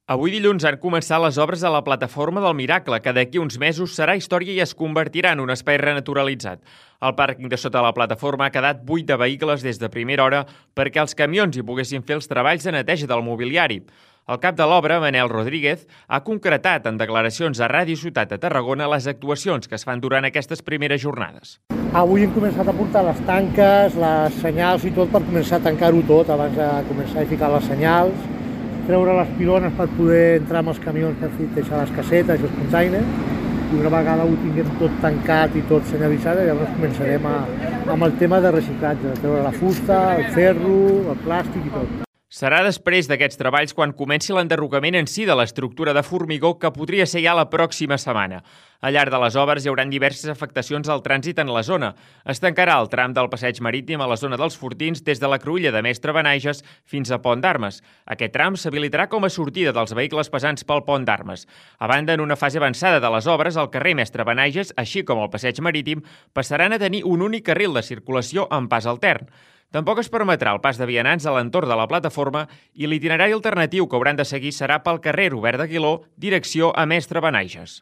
Avui dilluns han començat les obres a la plataforma del Miracle, que d'aquí uns mesos serà història i es convertirà en un espai renaturalitzat. El pàrquing de sota la plataforma ha quedat buit de vehicles des de primera hora perquè els camions hi poguessin fer els treballs de neteja del mobiliari. El cap de l'obra, Manel Rodríguez, ha concretat en declaracions a Ràdio Ciutat de Tarragona les actuacions que es fan durant aquestes primeres jornades. Avui hem començat a portar les tanques, les senyals i tot per començar a tancar-ho tot abans de començar a ficar les senyals, treure les pilones per poder entrar amb els camions per deixar les casetes i els containers, i una vegada ho tinguem tot tancat i tot senyalitzat, llavors començarem amb el tema de reciclatge, de treure la fusta, el ferro, el plàstic i tot. Serà després d'aquests treballs quan comenci l'enderrocament en si de l'estructura de formigó, que podria ser ja la pròxima setmana. Al llarg de les obres hi haurà diverses afectacions al trànsit en la zona. Es tancarà el tram del passeig marítim a la zona dels Fortins des de la cruïlla de Mestre Benaiges fins a Pont d'Armes. Aquest tram s'habilitarà com a sortida dels vehicles pesants pel Pont d'Armes. A banda, en una fase avançada de les obres, el carrer Mestre Benaiges, així com el passeig marítim, passaran a tenir un únic carril de circulació amb pas altern. Tampoc es permetrà el pas de vianants a l'entorn de la plataforma i l'itinerari alternatiu que hauran de seguir serà pel carrer Robert d'Aguiló, direcció a Mestre Benaiges.